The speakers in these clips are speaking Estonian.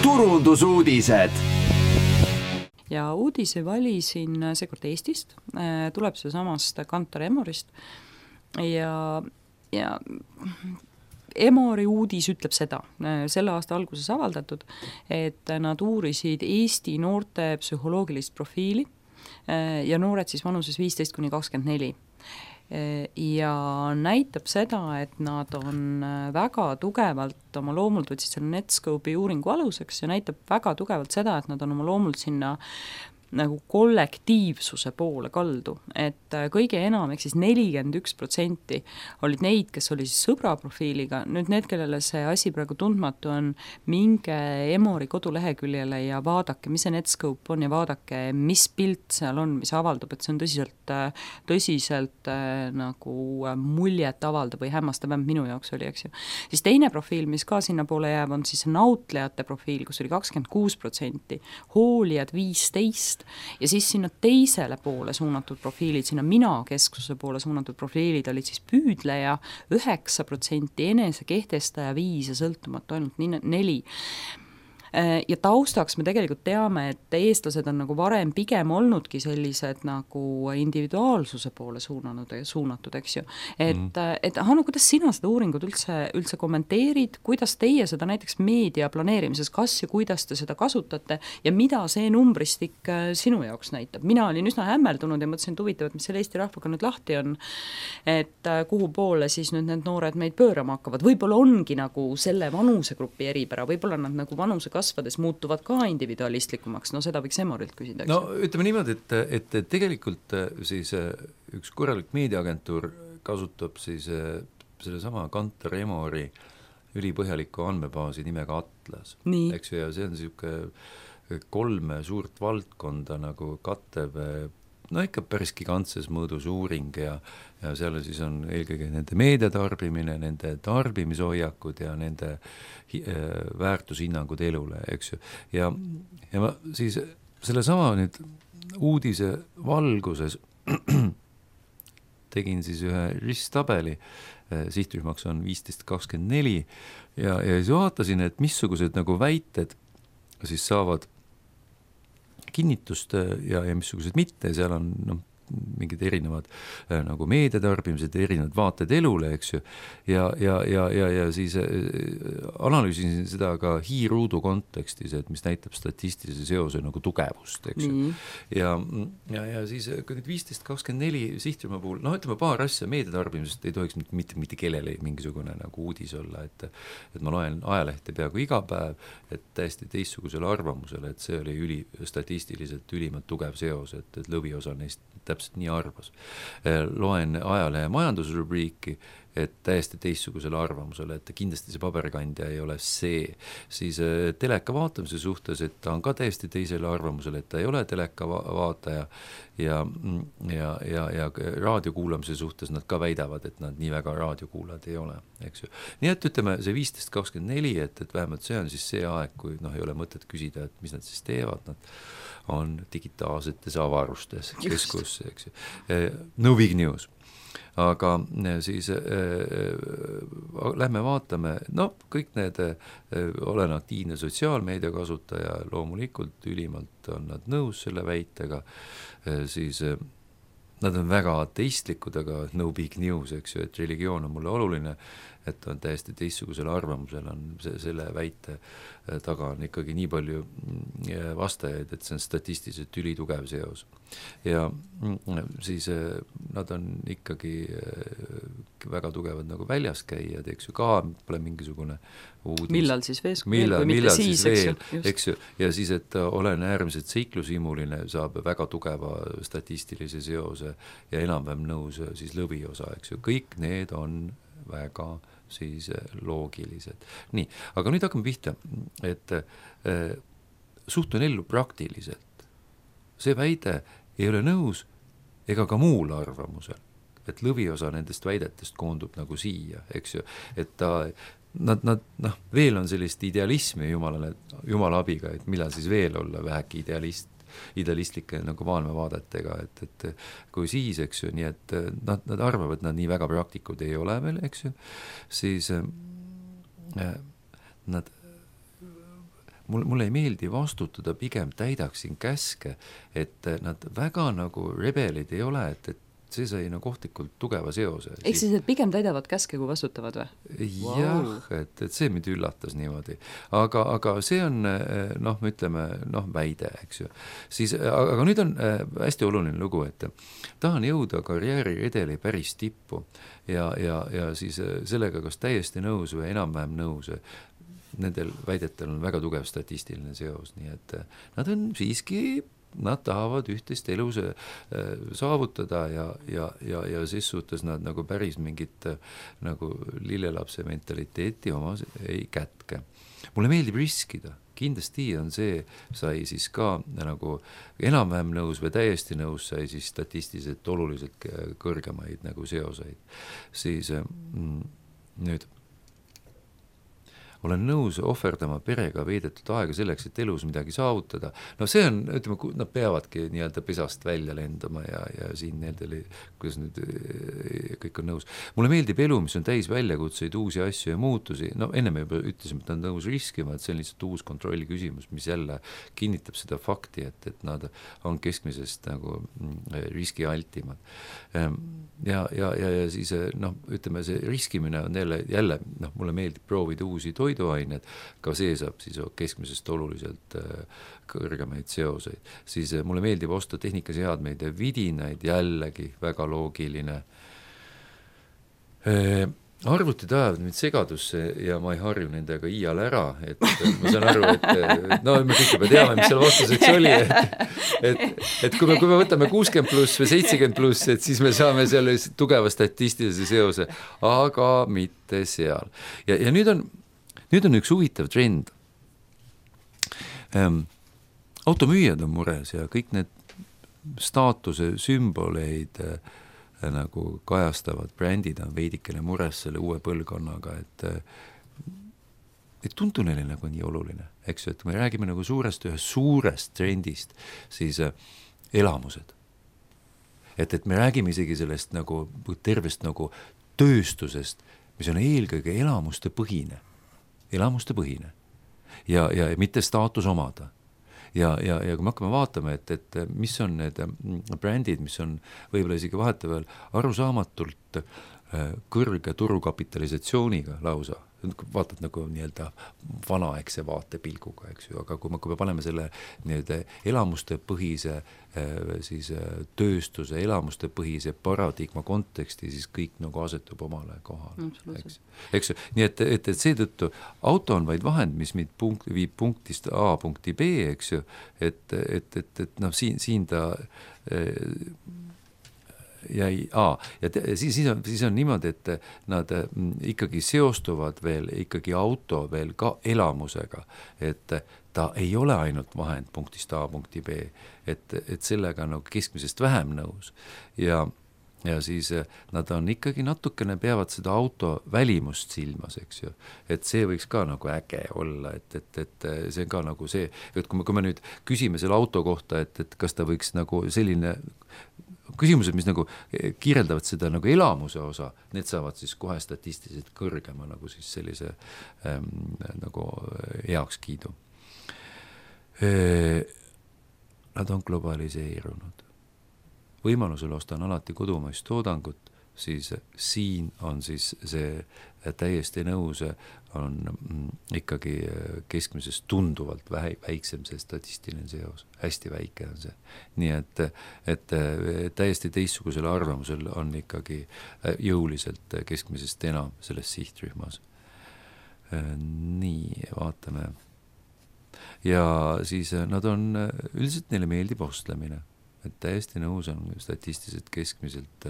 turundusuudised. Ja uudise valisin seekord Eestist, tuleb see samast Kantar Emorist ja Emori uudis ütleb seda, selle aasta alguses avaldatud, et nad uurisid Eesti noorte psühholoogilist profiili ja noored siis vanuses 15–24. Ja näitab seda, et nad on väga tugevalt oma loomult võtsid selle Netscope'i uuringu aluseks ja näitab väga tugevalt seda, et nad on oma loomult sinna nagu kollektiivsuse poole kaldu, et kõige enam, ehk siis 41% olid neid, kes oli siis sõbra profiiliga, nüüd need, kellele see asi praegu tundmatu on, minge Emori koduleheküljele ja vaadake, mis see Netscope on ja vaadake, mis pilt seal on, mis avaldub, et see on tõsiselt nagu muljet avaldav või hämmastav, minu jaoks oli, eks ju. Siis teine profiil, mis ka sinna poole jääb, on siis nautlejate profiil, kus oli 26%, hoolijad 15%, ja siis sinna teisele poole suunatud profiilid, sinna mina-kesksuse poole suunatud profiilid olid siis püüdleja 9%, enesekehtestaja 5% ja sõltumatu ainult 4%. Ja taustaks me tegelikult teame, et eestlased on nagu varem pigem olnudki sellised nagu individuaalsuse poole suunatud, eks ju. Et Hanno, kuidas sina seda uuringut üldse kommenteerid, kuidas teie seda näiteks meedia planeerimises, kas ja kuidas te seda kasutate ja mida see numbristik sinu jaoks näitab? Mina olin üsna hämmeldunud ja mõtlesin, et huvitav, et mis selle Eesti rahvaga nüüd lahti on, et kuhu poole siis nüüd need noored meid pöörama hakkavad. Võib-olla ongi nagu selle vanusegrupi eripära, võib-olla nad nagu vanuse kasvades muutuvad ka individualistlikumaks, no seda võiks Emorilt küsida. No ütleme niimoodi, et tegelikult siis üks korralik meediaagentuur kasutab siis selle sama Kantar Emori ülipõhjaliku andmebaasi nimega Atlas. Eks ju, ja see on niisugune 3 suurt valdkonda nagu kattev, no ikka päris gigantses mõõdus uuring ja seal siis on eelkõige nende meediatarbimine, nende tarbimishoiakud ja nende väärtushinnangud elule, eks ju. Ja ma siis selle sama nüüd uudise valguses tegin siis ühe risttabeli, sihtrühmaks on 15-24 ja siis vaatasin, et missugused nagu väited siis saavad kinnitust ja missugused mitte, seal on mingid erinevad nagu meediatarbimised, erinevad vaated elule, eks ju, ja siis analüüsin seda ka hiiruudu kontekstis, et mis näitab statistilise seose nagu tugevust, eks ju. Ja siis nüüd 15-24 sihtrühma puhul, ütleme paar asja, meediatarbimisest ei tohiks mitte kellele mingisugune nagu uudis olla, et ma loen ajalehte peaaegu iga päev, et täiesti teistsugusele arvamusele, et see oli statistiliselt ülimalt tugev seos, et lõviosa neist täpselt nii arvas. Loen ajalehe majandusrubriiki, et täiesti teistsugusele arvamusele, et kindlasti see paberkandja ei ole see. Siis teleka vaatamise suhtes, et ta on ka täiesti teisele arvamusele, et ta ei ole teleka vaataja ja raadio kuulamise suhtes nad ka väidavad, et nad nii väga raadiokuulajad ei ole, eks ju. Nii et ütleme, see 15-24, et vähemalt see on siis see aeg, kui ei ole mõtet küsida, et mis nad siis teevad, nad on digitaalsetes avarustes keskus, eks ju. No big news. Aga siis lähme vaatame, kõik need, olen aktiivne sotsiaalmeedia kasutaja, loomulikult ülimalt on nad nõus selle väitega, siis nad on väga ateistlikud, aga no big news, eks ju, et religioon on mulle oluline, et on täiesti teistsugusel arvamusel on selle väite taga on ikkagi nii palju vastajaid, et see on statistiliselt ülitugev seos. Ja siis nad on ikkagi väga tugevad nagu väljas käijad, eks ju, ka pole mingisugune uudis. Millal siis veel, eks ju, ja siis, et olen äärmiselt seiklusimuline, saab väga tugeva statistilise seose ja enam-vähem nõus siis lõviosa, eks ju, kõik need on väga siis loogilised. Nii, aga nüüd hakkame pihta, et suhtun ellu praktiliselt. See väide ei ole nõus ega ka muul arvamusel, et lõviosa nendest väidetest koondub nagu siia, eks ju, et nad veel on sellist idealismi Jumala abiga, et millal siis veel olla vähegi idealistlike nagu maailmavaadetega, et kui siis, eks ju, nii et nad arvavad, et nad nii väga praktikud ei ole veel, eks ju, siis nad mulle ei meeldi vastutada, pigem täidaksin käske, et nad väga nagu rebelid ei ole, et see sai nagu ohtlikult tugeva seose. Ehk siis, et pigem täidavad käske, kui vastutavad või? Jah, et see mind üllatas niimoodi. Aga see on, ütleme, väide, eks ju. Siis, aga nüüd on hästi oluline lugu, et tahan jõuda karjääriredeli päris tippu ja siis sellega kas täiesti nõus või enam-vähem nõus. Nendel väidetel on väga tugev statistiline seos, nii et nad on siiski nad tahavad ühtest elus saavutada ja siis suhtes nad nagu päris mingit nagu lillelapse mentaliteeti oma ei kätke. Mulle meeldib riskida, kindlasti on see, sai siis ka nagu enam-vähem nõus või täiesti nõus, sai siis statistiliselt oluliselt kõrgemaid nagu seoseid. Siis nüüd olen nõus ohverdama perega veedetud aega selleks, et elus midagi saavutada. See on, ütleme, nad peavadki nii-öelda pesast välja lendama ja siin nendele, kuidas nüüd kõik on nõus. Mulle meeldib elu, mis on täis väljakutseid, uusi asju ja muutusi. Enne me juba ütlesime, et nad on nõus riskima, et see on lihtsalt uus kontrolli küsimus, mis jälle kinnitab seda fakti, et nad on keskmisest nagu riskialtimad. Ja siis, ütleme, see riskimine on jälle mulle meeldib proovida uusi toiduained, ka see saab siis keskmisest oluliselt kõrgemaid seoseid. Siis mulle meeldib osta tehnikaseadmeid ja vidinaid, jällegi väga loogiline. Arvutid ajavad mind segadusse ja ma ei harju nendega iial ära, et ma saan aru, et me kõik juba teame, mis seal vastuseks oli, et kui me võtame 60 pluss või 70 pluss, et siis me saame seal tugeva statistilise seose, aga mitte seal. Ja nüüd on üks huvitav trend. Automüüjad on mures ja kõik need staatuse sümboleid nagu kajastavad brändid on veidikene mures selle uue põlvkonnaga, et tundu neile nagu nii oluline, eks ju, et me räägime nagu ühest suurest trendist, siis elamused. Et me räägime isegi sellest nagu tervest nagu tööstusest, mis on eelkõige elamuste põhine ja mitte staatus omada. Ja kui me hakkame vaatama, et mis on need brändid, mis on võib-olla isegi vahetevahel arusaamatult kõrge turukapitalisatsiooniga lausa, vaatad nagu nii-öelda vanaegse vaatepilguga, eks ju, aga kui me paneme selle nii-öelda elamuste põhise siis tööstuse, elamuste põhise paradigma konteksti, siis kõik nagu asetub omale kohale. Eks ju, nii et seetõttu auto on vaid vahend, mis viib punktist A punkti B, eks ju, et siin ta ja siis on niimoodi, et nad ikkagi seostuvad veel ikkagi auto veel ka elamusega, et ta ei ole ainult vahend punktist A punkti B, et sellega nagu keskmisest vähem nõus ja siis nad on ikkagi natukene peavad seda auto välimust silmas, eks ju, et see võiks ka nagu äge olla, et see on ka nagu see, et kui me nüüd küsime selle auto kohta, et kas ta võiks nagu selline küsimused, mis nagu kirjeldavad seda nagu elamuse osa, need saavad siis kohe statistiliselt kõrgema nagu siis sellise nagu heakskiidu. Nad on globaliseerunud. Võimalusel ostan alati kodumaist toodangut, siis siin on siis see täiesti nõus, on ikkagi keskmisest tunduvalt väiksem see statistiline seos, hästi väike on see. Nii et täiesti teistsugusel arvamusel on ikkagi jõuliselt keskmisest enam selles sihtrühmas. Nii, vaatame. Ja siis nad on, üldiselt neile meeldib ostlemine. Et täiesti nõus on statistiliselt keskmiselt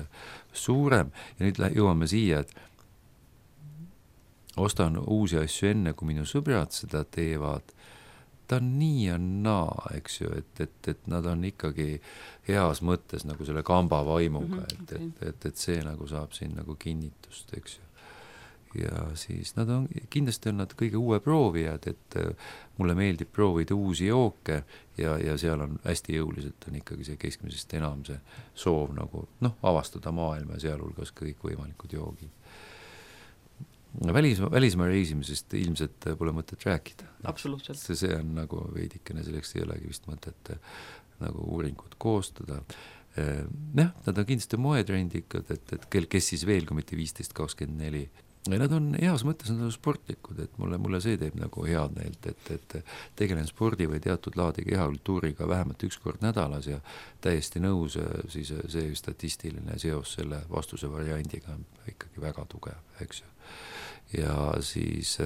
suurem ja nüüd jõuame siia, et ostan uusi asju enne, kui minu sõbrad seda teevad. Ta on nii ja naa, eks ju, et nad on ikkagi heas mõttes nagu selle kamba vaimuga, et see nagu saab siin nagu kinnitust, eks ju. Ja siis nad on, kindlasti on nad kõige uue proovijad, et mulle meeldib proovida uusi jooke ja seal on hästi jõuliselt on ikkagi see keskmisest enam see soov nagu avastada maailma ja sealhulgas kõik võimalikud joogid. välismaa reisimisest ilmselt pole mõtet rääkida. Absoluutselt. See on nagu veidikene, selleks ei olegi vist mõtet nagu uuringud koostada. Nad on kindlasti moetrendikad, et kes siis veel, kui mitte 15-24. Nad on heas mõttes, nad on sportlikud, et mulle see teeb nagu head meelt, et tegelen spordi või teatud laadi kehakultuuriga vähemalt üks kord nädalas ja täiesti nõus, siis see statistiline seos selle vastuse variandiga on ikkagi väga tugev, eks ju. Ja siis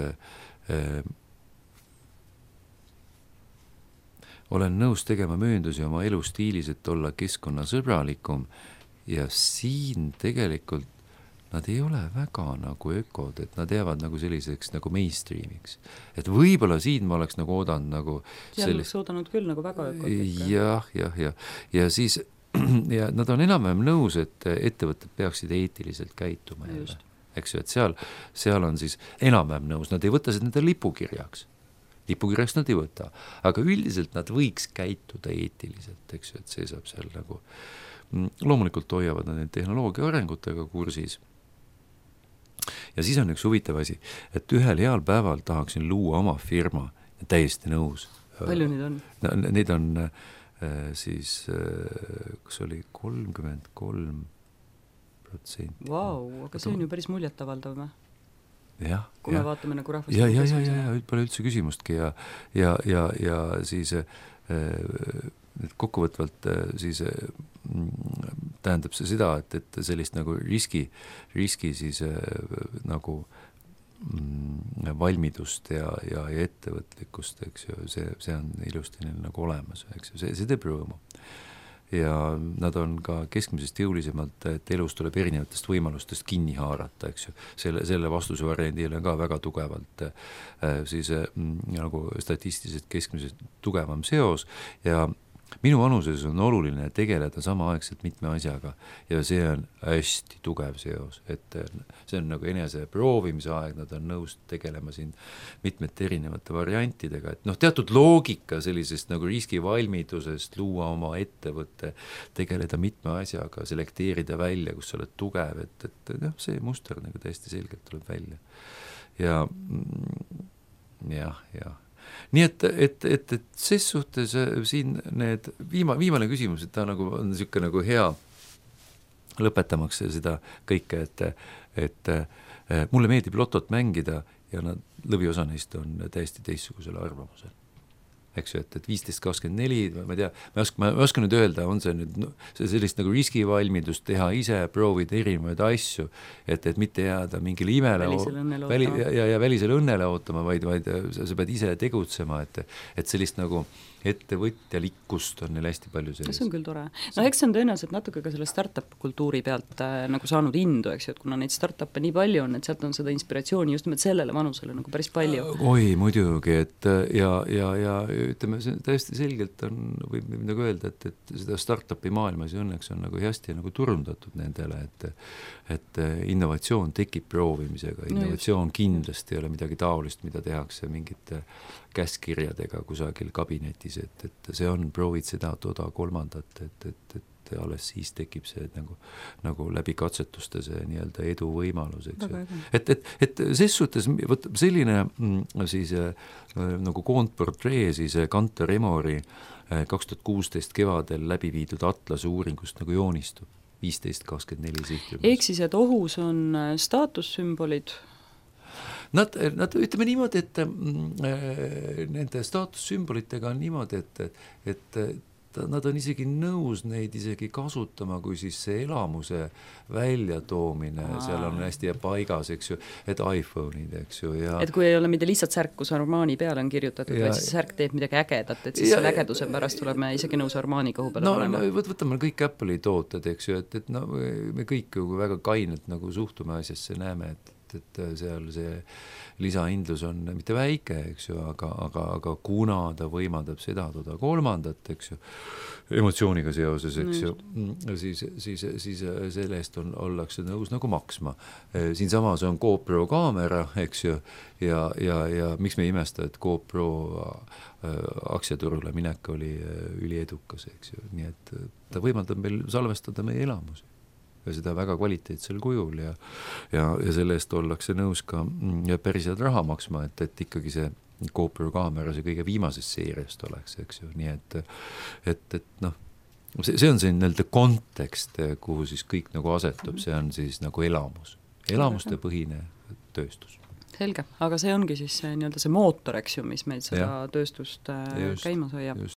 olen nõus tegema mööndusi oma elustiilis, et olla keskkonnasõbralikum ja siin tegelikult nad ei ole väga nagu ökod, et nad jäävad nagu selliseks nagu mainstreamiks. Et võibolla siin ma oleks nagu oodanud nagu seal oleks oodanud küll nagu väga ökod. Ja siis ja nad on enam-vähem nõus, et ettevõtted peaksid eetiliselt käituma jälle. Eks ju, et seal on siis enam-vähem nõus, nad ei võta seda nende lipukirjaks nad ei võta, aga üldiselt nad võiks käituda eetiliselt, eks ju, et see saab seal nagu loomulikult hoiavad nad tehnoloogia arengutega kursis. Ja siis on üks huvitav asi, et ühel heal päeval tahaksin luua oma firma, täiesti nõus. Palju neid on? Neid on siis, kas oli 33%. Vau, aga see on ju päris muljetavaldav või? Kui me vaatame nagu rahvast. Pole üldse küsimustki ja siis kokkuvõtvalt siis tähendab see seda, et sellist nagu riski siis nagu valmidust ja ettevõtlikkust, eks ju, see on ilusti neil nagu olemas, eks ju, see teeb rõõmu. Ja nad on ka keskmisest jõulisemalt, et elus tuleb erinevatest võimalustest kinni haarata, eks ju. Selle vastuse variandile on ka väga tugevalt siis nagu statistiliselt keskmisest tugevam seos ja minu vanuses on oluline tegeleda samaaegselt mitme asjaga ja see on hästi tugev seos, et see on nagu enese proovimise aeg, nad on nõus tegelema siin mitmete erinevate variantidega, et teatud loogika sellisest nagu riskivalmidusest luua oma ettevõtte, tegeleda mitme asjaga, selekteerida välja, kus sa oled tugev, et see muster nagu täiesti selgelt tuleb välja ja nii et ses suhtes siin need viimane küsimus, et ta nagu on niisugune nagu hea lõpetamaks seda kõike, et mulle meeldib lotot mängida ja lõviosa neist on täiesti teistsugusel arvamusel. Eks ju, et 15-24, ma ei tea, ma oskan nüüd öelda, on see nüüd sellist nagu riskivalmidust teha ise, proovida erinevaid asju, et mitte jääda mingile imele välisele õnnele ootama, vaid sa pead ise tegutsema, et sellist nagu ettevõtjalikkust on neil hästi palju sellist. See on küll tore. Eks see on tõenäoliselt natuke ka selle startup kultuuri pealt nagu saanud indu, eks ju, et kuna neid startup'e nii palju on, et sealt on seda inspiratsiooni just nimelt sellele vanusele nagu päris palju. Oi, muidugi, et ja ütleme, see täiesti selgelt on, võib nagu öelda, et seda startupi maailmas õnneks on nagu hästi nagu turundatud nendele, et innovatsioon tekib proovimisega, innovatsioon kindlasti ei ole midagi taolist, mida tehakse mingite käskirjadega kusagil kabinetis, et see on, proovid seda, toda, kolmandat, et alles siis tekib see nagu läbi katsetuste see nii-öelda edu võimalus, eks ju. Et ses suhtes selline siis nagu koondportree siis Kantar Emori 2016 kevadel läbi viidud Atlase uuringust nagu joonistub 15-24 sihtrühmas. Ehk siis, et ohus on staatussümbolid. Nad ütleme niimoodi, et nende staatussümbolitega on niimoodi, et nad on isegi nõus neid isegi kasutama, kui siis see elamuse väljatoomine, seal on hästi paigas, eks ju, et iPhone'id, eks ju. Ja et kui ei ole mitte lihtsalt särk, kus Armani peale on kirjutatud, vaid siis särk teeb midagi ägedat, et siis selle ägeduse pärast tuleme isegi nõus Armani kõhu peale olema. Võtame kõik Apple'i tooted, eks ju, et me kõik väga kainelt nagu suhtume asjasse, näeme, et seal see lisahindlus on mitte väike, eks ju, aga kuna ta võimaldab seda, toda kolmandat, eks ju, emotsiooniga seoses, eks ju, siis selle eest ollakse nõus nagu maksma. Siin samas on GoPro kaamera, eks ju, ja miks me imesta, et GoPro aktsiaturule minek oli üliedukas, eks ju, nii et ta võimaldab meil salvestada meie elamusi. ja seda väga kvaliteetsel kujul ja selle eest ollakse nõus ka päris head raha maksma, et ikkagi see GoPro kaamera see kõige viimasest seeriast oleks, eks ju, nii et noh, see on see nii-öelda kontekst, kuhu siis kõik nagu asetub, see on siis nagu elamuste põhine tööstus. Selge, aga see ongi siis nii-öelda see mootor, eks ju, mis meil seda tööstust käimas hoiab.